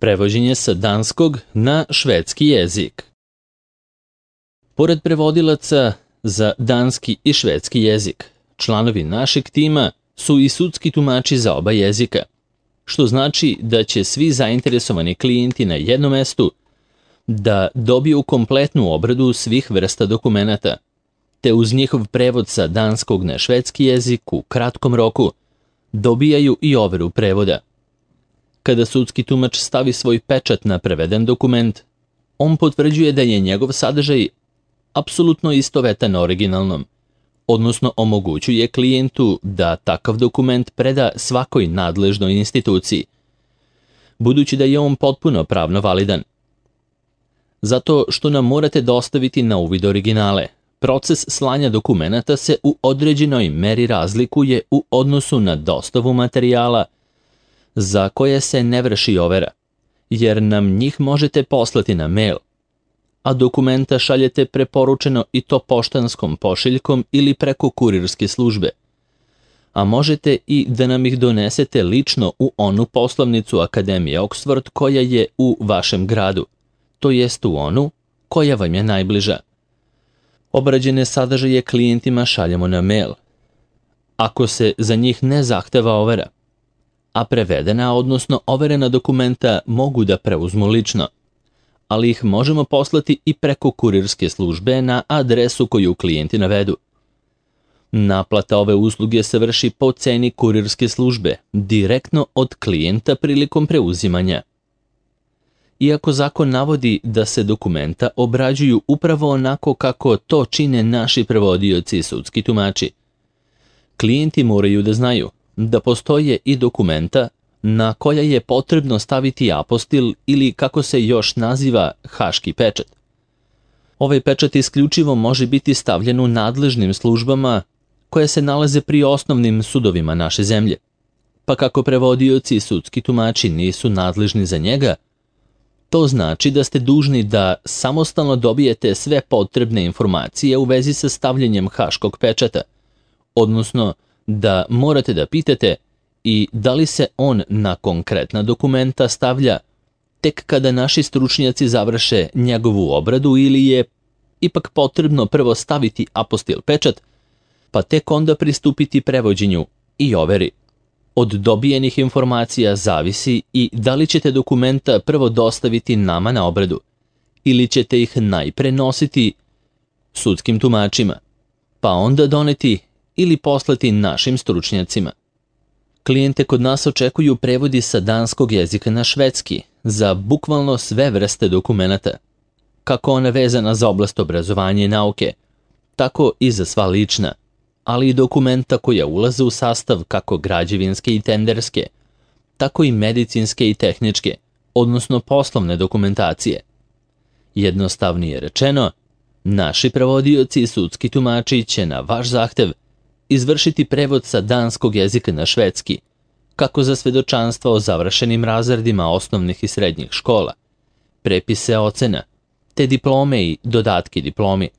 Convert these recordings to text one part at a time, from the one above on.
Prevođenje sa danskog na švedski jezik. Pored prevodilaca za danski i švedski jezik, članovi našeg tima su i sudski tumači za oba jezika, što znači da će svi zainteresovani klijenti na jednom mestu da dobiju kompletnu obradu svih vrsta dokumenata, te uz njihov prevod sa danskog na švedski jezik u kratkom roku dobijaju i overu prevoda. Kada sudski tumač stavi svoj pečat na preveden dokument, on potvrđuje da je njegov sadržaj apsolutno istovetan originalnom, odnosno omogućuje klijentu da takav dokument preda svakoj nadležnoj instituciji, budući da je on potpuno pravno validan. Zato što nam morate dostaviti na uvid originale, proces slanja dokumenata se u određenoj meri razlikuje u odnosu na dostavu materijala za koje se ne vrši overa, jer nam njih možete poslati na mail, a dokumenta šaljete preporučeno i to poštanskom pošiljkom ili preko kurirske službe, a možete i da nam ih donesete lično u onu poslovnicu Akademije Oxford koja je u vašem gradu, to jest u onu koja vam je najbliža. Obrađene sadržaje klijentima šaljemo na mail, ako se za njih ne zahteva overa, a prevedena, odnosno overena dokumenta mogu da preuzmu lično, ali ih možemo poslati i preko kurirske službe na adresu koju klijenti navedu. Naplata ove usluge se vrši po ceni kurirske službe, direktno od klijenta prilikom preuzimanja. Iako zakon navodi da se dokumenta obrađuju upravo onako kako to čine naši prevodioci i sudski tumači, klijenti moraju da znaju da postoje i dokumenta na koja je potrebno staviti apostil ili kako se još naziva haški pečat. Ovaj pečat isključivo može biti stavljen u nadležnim službama koje se nalaze pri osnovnim sudovima naše zemlje, pa kako prevodioci i sudski tumači nisu nadležni za njega, to znači da ste dužni da samostalno dobijete sve potrebne informacije u vezi sa stavljanjem haškog pečata, odnosno da morate da pitate i da li se on na konkretna dokumenta stavlja tek kada naši stručnjaci završe njegovu obradu ili je ipak potrebno prvo staviti apostil pečat, pa tek onda pristupiti prevođenju i overi. Od dobijenih informacija zavisi i da li ćete dokumenta prvo dostaviti nama na obradu ili ćete ih najpre nositi sudskim tumačima, pa onda doneti ili poslati našim stručnjacima. Klijente kod nas očekuju prevodi sa danskog jezika na švedski za bukvalno sve vrste dokumenata, kako ona vezana za oblast obrazovanja i nauke, tako i za sva lična, ali i dokumenta koja ulaze u sastav kako građevinske i tenderske, tako i medicinske i tehničke, odnosno poslovne dokumentacije. Jednostavnije rečeno, naši prevodioci i sudski tumači će na vaš zahtev izvršiti prevod sa danskog jezika na švedski, kako za svedočanstva o završenim razredima osnovnih i srednjih škola, prepise ocena, te diplome i dodatke diplomi,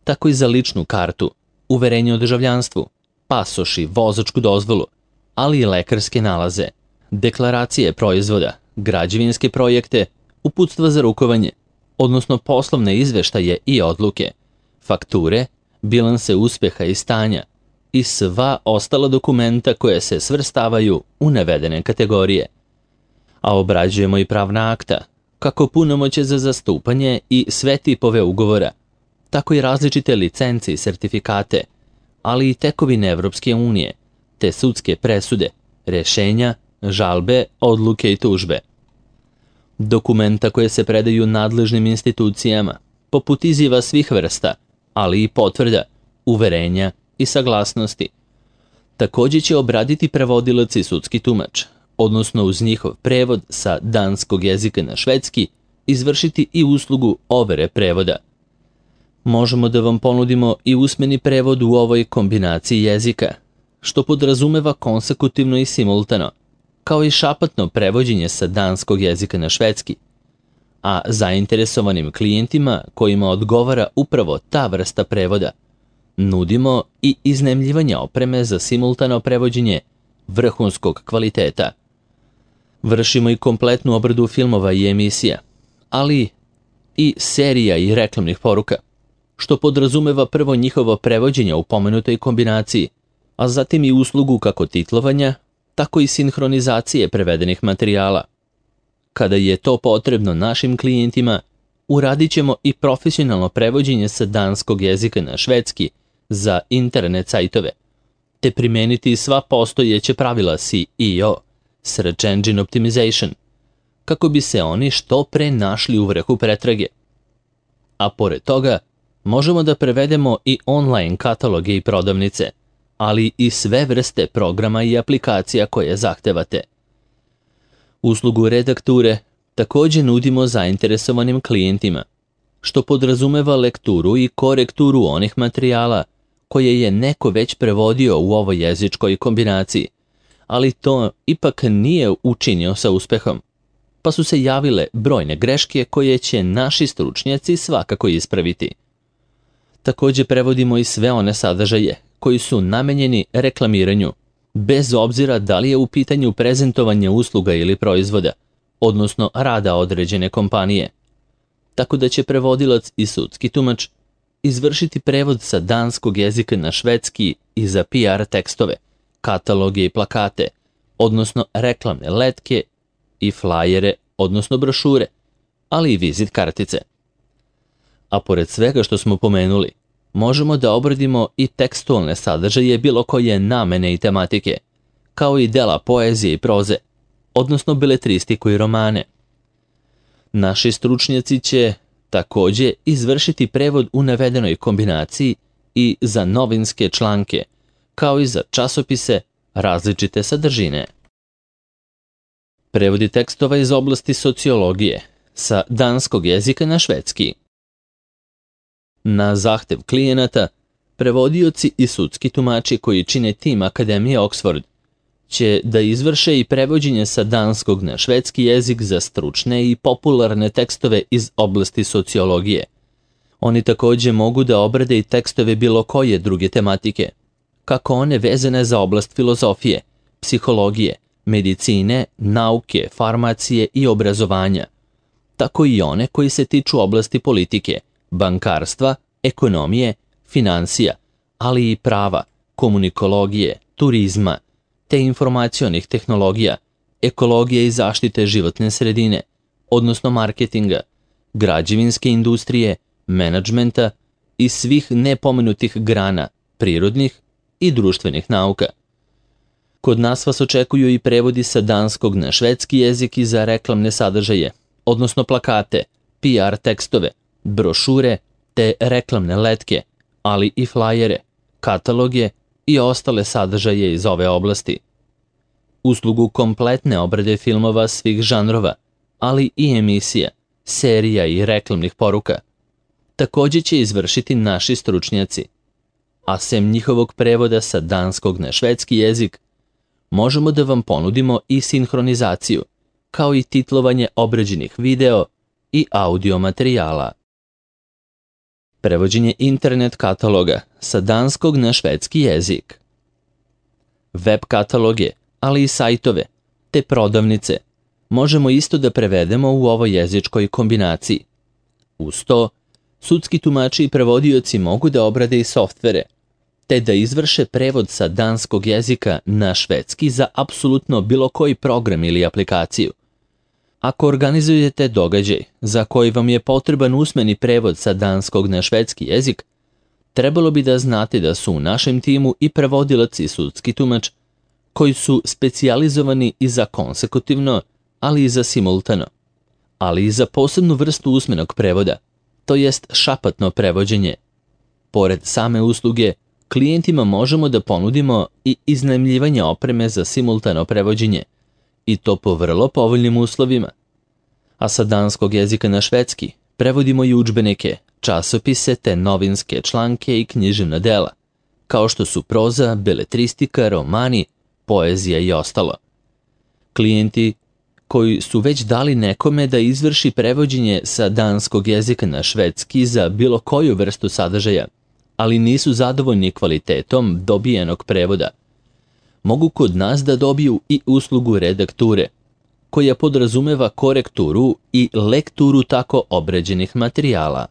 tako i za ličnu kartu, uverenje o državljanstvu, pasoš i vozačku dozvolu, ali i lekarske nalaze, deklaracije proizvoda, građevinske projekte, uputstva za rukovanje, odnosno poslovne izveštaje i odluke, fakture, bilanse uspeha i stanja i sva ostala dokumenta koje se svrstavaju u navedene kategorije. A obrađujemo i pravna akta, kako punomoćje za zastupanje i sve tipove ugovora, tako i različite licence i sertifikate, ali i tekovine Evropske unije, te sudske presude, rešenja, žalbe, odluke i tužbe. Dokumenta koje se predaju nadležnim institucijama, poput izjava svih vrsta, ali i potvrda, uverenja i saglasnosti. Također će obraditi prevodilac i sudski tumač, odnosno uz njihov prevod sa danskog jezika na švedski, izvršiti i uslugu overe prevoda. Možemo da vam ponudimo i usmeni prevod u ovoj kombinaciji jezika, što podrazumeva konsekutivno i simultano, kao i šapatno prevođenje sa danskog jezika na švedski, a zainteresovanim klijentima kojima odgovara upravo ta vrsta prevoda, nudimo i iznajmljivanje opreme za simultano prevođenje vrhunskog kvaliteta. Vršimo i kompletnu obradu filmova i emisija, ali i serija i reklamnih poruka, što podrazumeva prvo njihovo prevođenje u pomenutoj kombinaciji, a zatim i uslugu kako titlovanja, tako i sinhronizacije prevedenih materijala. Kada je to potrebno našim klijentima, uradit ćemo i profesionalno prevođenje sa danskog jezika na švedski za internet sajtove, te primeniti sva postojeća pravila SEO, Search Engine Optimization, kako bi se oni što pre našli u vrhu pretrage. A pored toga, možemo da prevedemo i online kataloge i prodavnice, ali i sve vrste programa i aplikacija koje zahtevate. Uslugu redakture također nudimo zainteresovanim klijentima, što podrazumeva lekturu i korekturu onih materijala koje je neko već prevodio u ovoj jezičkoj kombinaciji, ali to ipak nije učinio sa uspehom, pa su se javile brojne greške koje će naši stručnjaci svakako ispraviti. Također prevodimo i sve one sadržaje koji su namenjeni reklamiranju, bez obzira da li je u pitanju prezentovanje usluga ili proizvoda, odnosno rada određene kompanije. Tako da će prevodilac i sudski tumač izvršiti prevod sa danskog jezika na švedski i za PR tekstove, kataloge i plakate, odnosno reklamne letke i flajere, odnosno brošure, ali i vizit kartice. A pored svega što smo pomenuli, možemo da obradimo i tekstualne sadržaje bilo koje namene i tematike, kao i dela poezije i proze, odnosno beletristiku i romane. Naši stručnjaci će također izvršiti prevod u navedenoj kombinaciji i za novinske članke, kao i za časopise različite sadržine. Prevodi tekstova iz oblasti sociologije sa danskog jezika na švedski. Na zahtev klijenata, prevodioci i sudski tumači koji čine tim Akademije Oxford će da izvrše i prevođenje sa danskog na švedski jezik za stručne i popularne tekstove iz oblasti sociologije. Oni također mogu da obrade i tekstove bilo koje druge tematike, kako one vezane za oblast filozofije, psihologije, medicine, nauke, farmacije i obrazovanja, tako i one koji se tiču oblasti politike, bankarstva, ekonomije, financija, ali i prava, komunikologije, turizma, te informacionih tehnologija, ekologije i zaštite životne sredine, odnosno marketinga, građevinske industrije, menadžmenta i svih nepomenutih grana, prirodnih i društvenih nauka. Kod nas vas očekuju i prevodi sa danskog na švedski jezik i za reklamne sadržaje, odnosno plakate, PR tekstove, brošure te reklamne letke, ali i flajere, kataloge i ostale sadržaje iz ove oblasti. Uslugu kompletne obrade filmova svih žanrova, ali i emisija, serija i reklamnih poruka, također će izvršiti naši stručnjaci. A sem njihovog prevoda sa danskog na švedski jezik, možemo da vam ponudimo i sinhronizaciju, kao i titlovanje obrađenih video i audio materijala. Prevođenje internet kataloga sa danskog na švedski jezik. Web kataloge, ali i sajtove, te prodavnice, možemo isto da prevedemo u ovoj jezičkoj kombinaciji. Uz to, sudski tumači i prevodioci mogu da obrade i softvere, te da izvrše prevod sa danskog jezika na švedski za apsolutno bilo koji program ili aplikaciju. Ako organizujete događaj za koji vam je potreban usmeni prevod sa danskog na švedski jezik, trebalo bi da znate da su u našem timu i prevodilac i sudski tumač koji su specijalizovani i za konsekutivno, ali i za simultano, ali i za posebnu vrstu usmenog prevoda, to jest šapatno prevođenje. Pored same usluge, klijentima možemo da ponudimo i iznajmljivanje opreme za simultano prevođenje, i to po vrlo povoljnim uslovima. A sa danskog jezika na švedski prevodimo i udžbenike, časopise te novinske članke i književna dela, kao što su proza, beletristika, romani, poezija i ostalo. Klijenti koji su već dali nekome da izvrši prevođenje sa danskog jezika na švedski za bilo koju vrstu sadržaja, ali nisu zadovoljni kvalitetom dobijenog prevoda, mogu kod nas da dobiju i uslugu redakture, koja podrazumeva korekturu i lekturu tako obređenih materijala.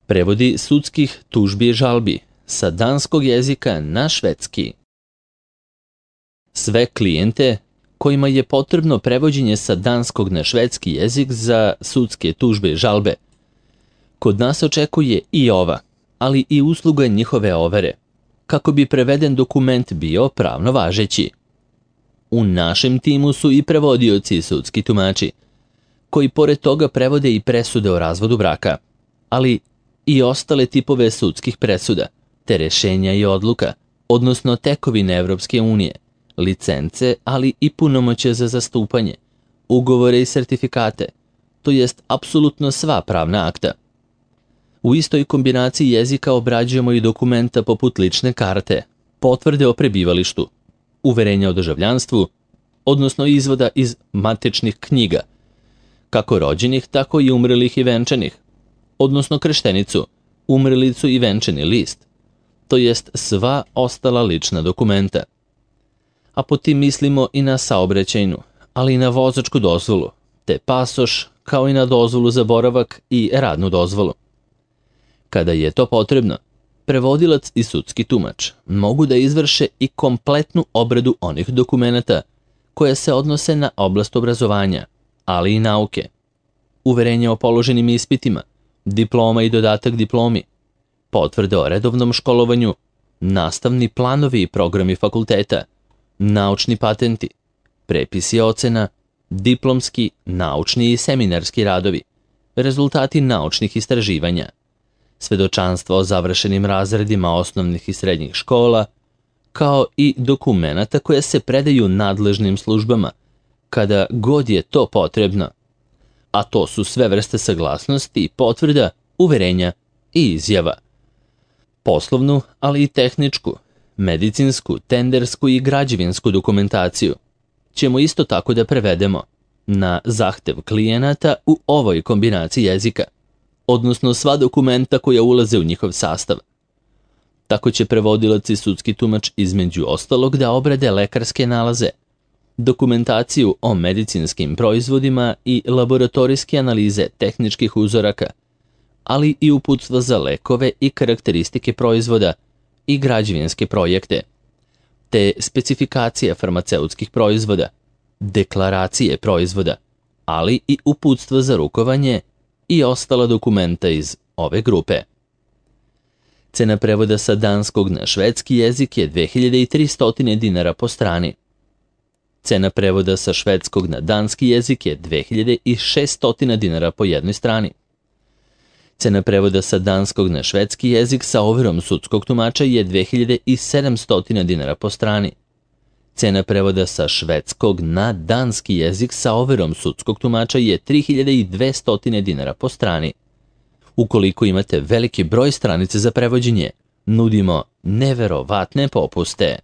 Prevodi sudskih tužbi i žalbi sa danskog jezika na švedski. Sve klijente kojima je potrebno prevođenje sa danskog na švedski jezik za sudske tužbe i žalbe, kod nas očekuje i ova, ali i usluga njihove overe, kako bi preveden dokument bio pravno važeći. U našem timu su i prevodioci i sudski tumači, koji pored toga prevode i presude o razvodu braka, ali i ostale tipove sudskih presuda, te rešenja i odluka, odnosno tekovine Evropske unije, licence, ali i punomoćje za zastupanje, ugovore i sertifikate, to jest apsolutno sva pravna akta. U istoj kombinaciji jezika obrađujemo i dokumenta poput lične karte, potvrde o prebivalištu, uverenja o državljanstvu, odnosno izvoda iz matičnih knjiga, kako rođenih, tako i umrelih i venčanih, odnosno krštenicu, umrelicu i venčani list, to jest sva ostala lična dokumenta. A po tim mislimo i na saobraćajnu, ali i na vozačku dozvolu, te pasoš, kao i na dozvolu za boravak i radnu dozvolu. Kada je to potrebno, prevodilac i sudski tumač mogu da izvrše i kompletnu obradu onih dokumenata koje se odnose na oblast obrazovanja, ali i nauke, uverenje o položenim ispitima, diploma i dodatak diplomi, potvrde o redovnom školovanju, nastavni planovi i programi fakulteta, naučni patenti, prepisi ocena, diplomski, naučni i seminarski radovi, rezultati naučnih istraživanja, svedočanstva o završenim razredima osnovnih i srednjih škola, kao i dokumenata koje se predaju nadležnim službama, kada god je to potrebno. A to su sve vrste saglasnosti, potvrda, uverenja i izjava. Poslovnu, ali i tehničku, medicinsku, tendersku i građevinsku dokumentaciju ćemo isto tako da prevedemo na zahtev klijenata u ovoj kombinaciji jezika, odnosno sva dokumenta koja ulaze u njihov sastav. Tako će prevodilac i sudski tumač između ostalog da obrade lekarske nalaze, dokumentaciju o medicinskim proizvodima i laboratorijske analize tehničkih uzoraka, ali i uputstva za lekove i karakteristike proizvoda i građevinske projekte, te specifikacije farmaceutskih proizvoda, deklaracije proizvoda, ali i uputstva za rukovanje i ostala dokumenta iz ove grupe. Cena prevoda sa danskog na švedski jezik je 2300 dinara po strani. Cena prevoda sa švedskog na danski jezik je 2600 dinara po jednoj strani. Cena prevoda sa danskog na švedski jezik sa overom sudskog tumača je 2700 dinara po strani. Cena prevoda sa švedskog na danski jezik sa overom sudskog tumača je 3200 dinara po strani. Ukoliko imate veliki broj stranice za prevođenje, nudimo neverovatne popuste.